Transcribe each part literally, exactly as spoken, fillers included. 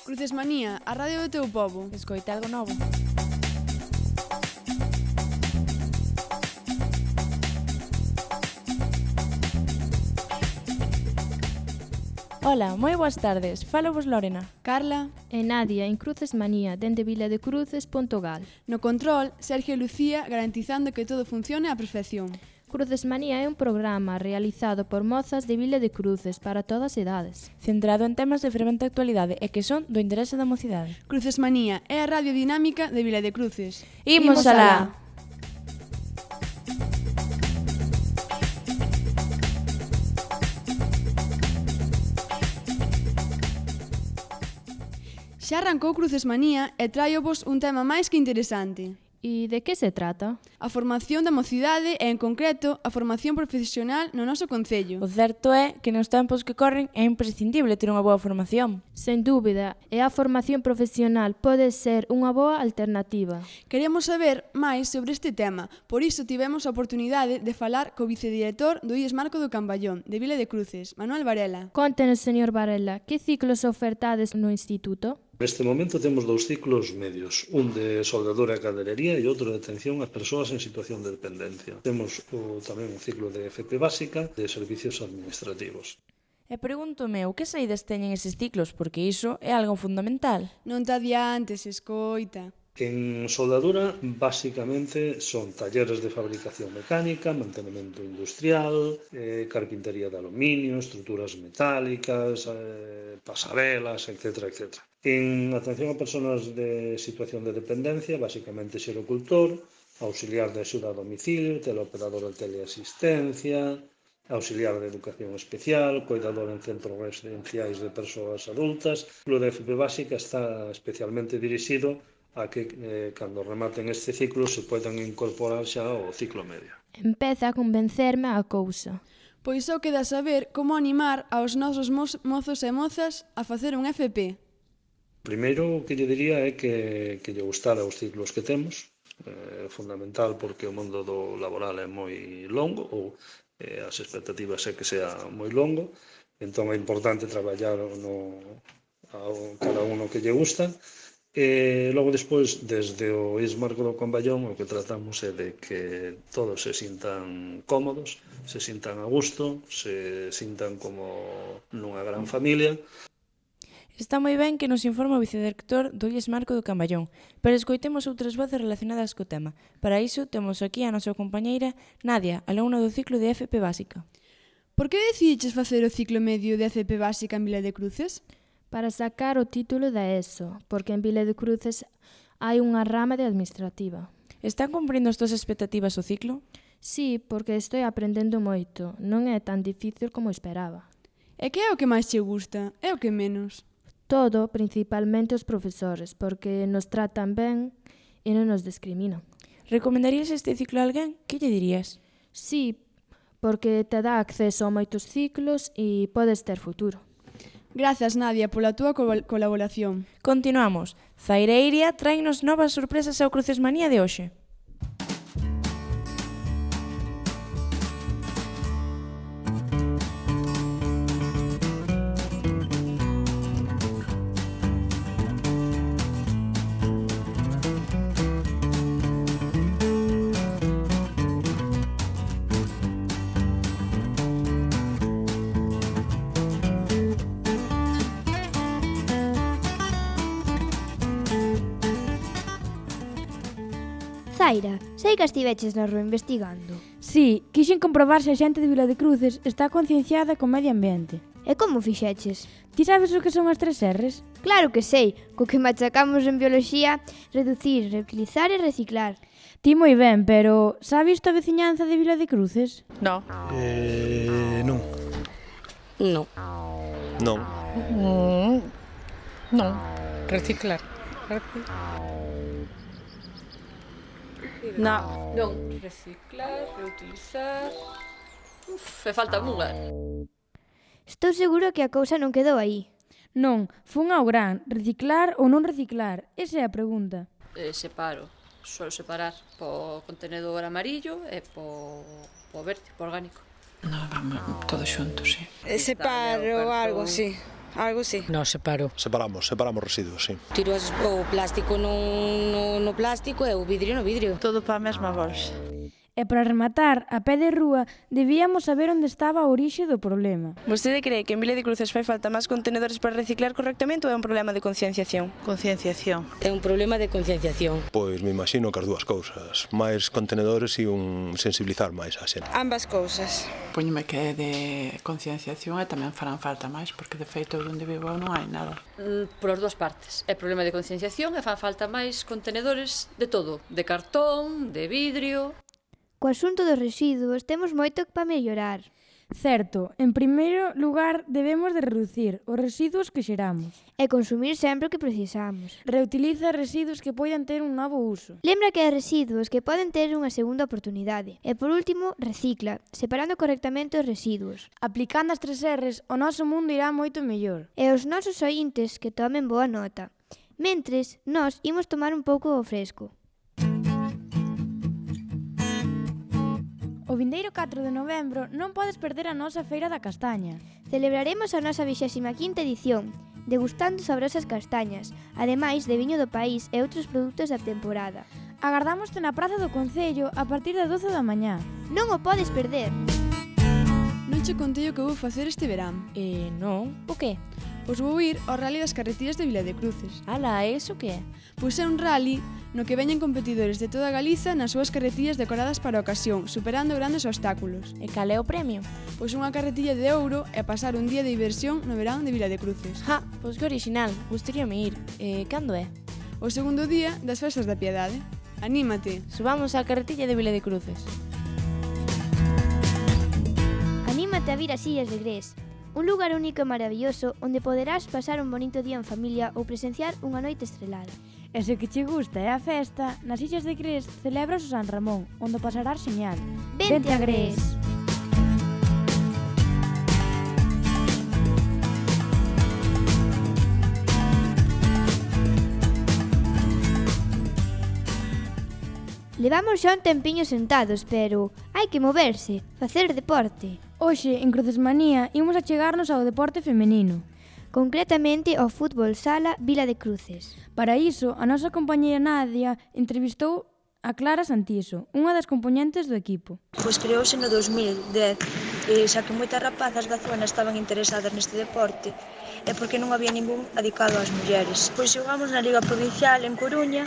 Crucesmanía, a radio do teu pobo. Escoita algo novo. Ola, moi boas tardes. Falo vos Lorena. Carla. E Nadia, en Crucesmanía, dende viladecruces punto gal. No control, Sergio e Lucía garantizando que todo funcione á perfección. Crucesmanía é un programa realizado por mozas de Vila de Cruces para todas as idades. Centrado en temas de fervente actualidade e que son do interese da mocidade. Crucesmanía é a radio dinámica de Vila de Cruces. Imos alá! Xa arrancou Crucesmanía e tráiovos un tema máis que interesante. E de que se trata? A formación da mocidade e, en concreto, a formación profesional no noso concello. O certo é que nos tempos que corren é imprescindible ter unha boa formación. Sen dúbida, e a formación profesional pode ser unha boa alternativa. Queremos saber máis sobre este tema, por iso tivemos a oportunidade de falar co vicedirector do I E S Marco do Camballón, de Vila de Cruces, Manuel Varela. Contenos, señor Varela, que ciclos ofertades no instituto? Neste momento temos dous ciclos medios, un de soldadura e cadelería e outro de atención ás persoas en situación de dependencia. Temos o, tamén un ciclo de F P básica de servicios administrativos. E pregúntome, o que saídas teñen eses ciclos? Porque iso é algo fundamental. Non te adiantes, escoita. En soldadura, basicamente, son talleres de fabricación mecánica, mantenimento industrial, eh, carpintería de aluminio, estruturas metálicas, eh, pasarelas, etcétera, etcétera. En atención a persoas de situación de dependencia, basicamente xerocultor, auxiliar de axuda a domicilio, teleoperador de teleasistencia, auxiliar de educación especial, cuidador en centros residenciais de persoas adultas. O de F P básica está especialmente dirixido a que, eh, cando rematen este ciclo, se poidan incorporar xa ao ciclo medio. Empeza a convencerme a cousa. Pois só queda saber como animar aos nosos mo mozos e mozas a facer un F P. Primeiro, o que lle diría é que, que lle gustara os ciclos que temos. É eh, fundamental porque o mundo do laboral é moi longo, ou eh, as expectativas é que sea moi longo. Entón é importante traballar no, ao, cada uno que lle gusta. E logo despois, desde o I E S Marco do Camballón, o que tratamos é de que todos se sintan cómodos, se sintan a gusto, se sintan como nunha gran familia. Está moi ben que nos informa o vicedirector do I E S Marco do Camballón, pero escoitemos outras voces relacionadas co tema. Para iso temos aquí a nosa compañeira Nadia, alumna do ciclo de F P básica. Por que decidiches facer o ciclo medio de F P básica en Vila de Cruces? Para sacar o título da ESO, porque en Vila de Cruces hai unha rama de administrativa. Están cumprindo as túas expectativas o ciclo? Sí, porque estou aprendendo moito. Non é tan difícil como esperaba. E que é o que máis che gusta? É o que menos? Todo, principalmente os profesores, porque nos tratan ben e non nos discriminan. Recomendarías este ciclo a alguén? Que lle dirías? Sí, porque te dá acceso a moitos ciclos e podes ter futuro. Grazas, Nadia, pola túa colaboración. Continuamos. Zaireiria tráenos novas sorpresas ao Crucesmanía de hoxe. Zaira, sei que estiveches na rúa investigando. Sí, quixen comprobar se a xente de Vila de Cruces está concienciada co medio ambiente. E como fixeches? Ti sabes o que son as tres erres? Claro que sei, co que machacamos en bioloxía, reducir, reutilizar e reciclar. Ti moi ben, pero sabes a veciñanza de Vila de Cruces? No. Eh, non. No. Non. Mm, non. Reciclar. Reciclar. No. Non. Reciclar, reutilizar... Uf, fe falta unha. Estou seguro que a cousa non quedou aí. Non, fun ao gran, reciclar ou non reciclar, esa é a pregunta. Eh, separo. Suelo separar po contenedor amarillo e po, po verde, po orgánico. No, vamos, todo xunto, sí. Separo algo, sí. algo sí. No, separo. Separamos, separamos residuos, sí. Tiro as, o plástico no, no, no plástico e o vidrio no vidrio. Todo para a mesma bolsa. E para rematar, a pé de rúa, debíamos saber onde estaba a orixe do problema. Vostede cree que en Vila de Cruces fai falta máis contenedores para reciclar correctamente ou é un problema de concienciación? Concienciación. É un problema de concienciación. Pois me imagino que as dúas cousas. Máis contenedores e un sensibilizar máis a xente. Ambas cousas. Póñome que é de concienciación e tamén farán falta máis, porque de feito onde vivo non hai nada. Mm, por as dúas partes. É problema de concienciación e fan falta máis contenedores de todo. De cartón, de vidrio... Co asunto dos residuos temos moito para mellorar. Certo, en primeiro lugar debemos de reducir os residuos que xeramos. E consumir sempre o que precisamos. Reutiliza residuos que poidan ter un novo uso. Lembra que hai residuos que poden ter unha segunda oportunidade. E por último, recicla, separando correctamente os residuos. Aplicando as tres erres, o noso mundo irá moito mellor. E os nosos ointes que tomen boa nota. Mentres, nós imos tomar un pouco o fresco. O vindeiro catro de novembro non podes perder a nosa Feira da Castaña. Celebraremos a nosa vixésima quinta edición, degustando sabrosas castañas, ademais de viño do país e outros produtos da temporada. Agardámoste na Praza do Concello a partir das doce da mañá. Non o podes perder! Non che contei o que vou facer este verán. Eh, non? O que? Pois vou ir ao Rally das Carretillas de Vila de Cruces. Ala, eso que é? Pois é un rally no que veñen competidores de toda Galiza nas súas carretillas decoradas para a ocasión, superando grandes obstáculos. E cal é o premio? Pois unha carretilla de ouro e pasar un día de diversión no verán de Vila de Cruces. Ja, pois que original, gustaríame ir. Eh, cando é? O segundo día das festas da Piedade. Anímate! Subamos á carretilla de Vila de Cruces. Anímate a vir ás Illas de Grés, un lugar único e maravilloso onde poderás pasar un bonito día en familia ou presenciar unha noite estrelada. E se que che gusta é a festa, nas Illas de Grés celebras o San Ramón, onde pasarás xeñal. Vente a Grés! Levamos xa un tempiño sentados, pero hai que moverse, facer deporte. Hoxe, en Crucesmanía, imos a chegarnos ao deporte femenino. Concretamente ao fútbol sala Vila de Cruces. Para iso, a nosa compañeira Nadia entrevistou a Clara Santiso, unha das compoñentes do equipo. Pois creouse no dos mil dez, e xa que moitas rapazas da zona estaban interesadas neste deporte, e porque non había ningún adicado ás mulleres. Pois xogamos na Liga Provincial en Coruña,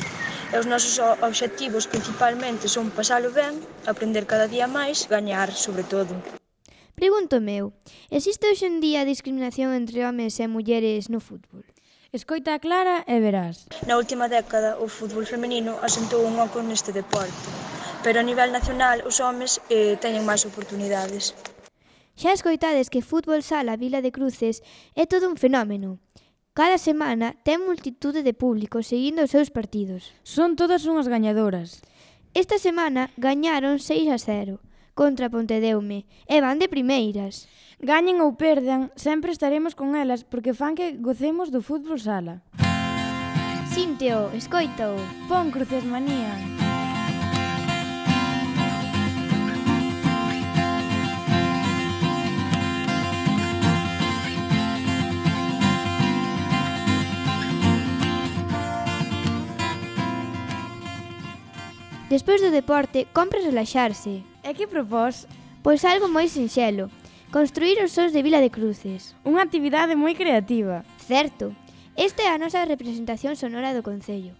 e os nosos obxectivos principalmente son pasalo ben, aprender cada día máis, gañar sobre todo. Pregunto meu, existe hoxe en día discriminación entre homes e mulleres no fútbol? Escoita a Clara e verás. Na última década, o fútbol femenino asentou un oco neste deporte, pero a nivel nacional os homes eh, teñen máis oportunidades. Xa escoitades que Fútbol Sala Vila de Cruces é todo un fenómeno. Cada semana ten multitude de público seguindo os seus partidos. Son todas unhas gañadoras. Esta semana gañaron seis a cero contra Pontedeume e van de primeiras. Gañen ou perdan, sempre estaremos con elas porque fan que gocemos do fútbol sala. Sínteo, escoito. Pon Crucesmanía. Despois do deporte, compre relaxarse. E que propós? Pois algo moi sinxelo. Construir os sons de Vila de Cruces. Unha actividade moi creativa. Certo. Esta é a nosa representación sonora do Concello.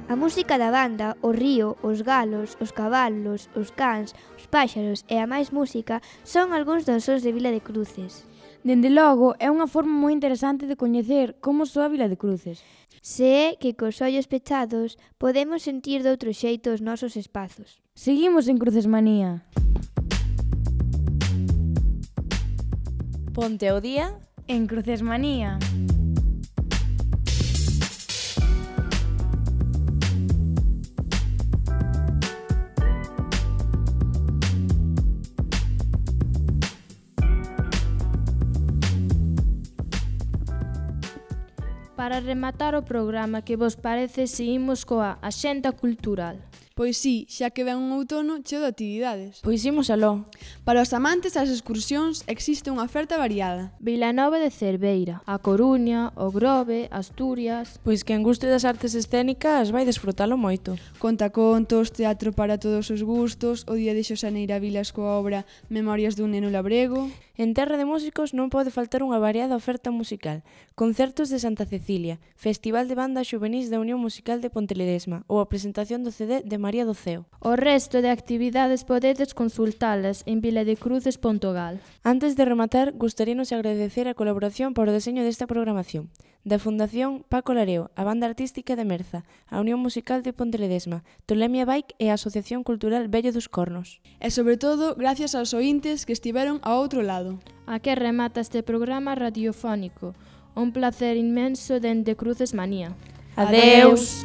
A música da banda, o río, os galos, os cabalos, os cans, os páxaros e a máis música son algúns dos sons de Vila de Cruces. Dende logo, é unha forma moi interesante de coñecer como soa Vila de Cruces. Se é que cos ollos pechados podemos sentir de outro xeito os nosos espazos. Seguimos en Crucesmanía. Ponte ao día en Crucesmanía. Para rematar o programa, que vos parece se imos coa Axenda Cultural? Pois sí, xa que ven un outono cheo de actividades. Pois imos aló. Para os amantes das excursións existe unha oferta variada. Vilanova de Cerveira, A Coruña, O Grove, Asturias... Pois quen guste das artes escénicas vai desfrutalo moito. Contacontos, teatro para todos os gustos, o Día de Xosaneira Vilas coa obra Memorias dun neno labrego... En Terra de Músicos non pode faltar unha variada oferta musical. Concertos de Santa Cecilia, Festival de Banda Xuvenís da Unión Musical de Ponteledesma ou a presentación do C D de María do Ceo. O resto de actividades podedes consultalas en viladecruces punto gal. Antes de rematar, gustaríanos agradecer a colaboración para o deseño desta programación da Fundación Paco Lareo, a Banda Artística de Merza, a Unión Musical de Ponteledesma, Tolemia Bike e a Asociación Cultural Vello dos Cornos. E sobre todo, gracias aos ointes que estiveron ao outro lado. A que remata este programa radiofónico. Un placer inmenso dende Crucesmanía. Adeus!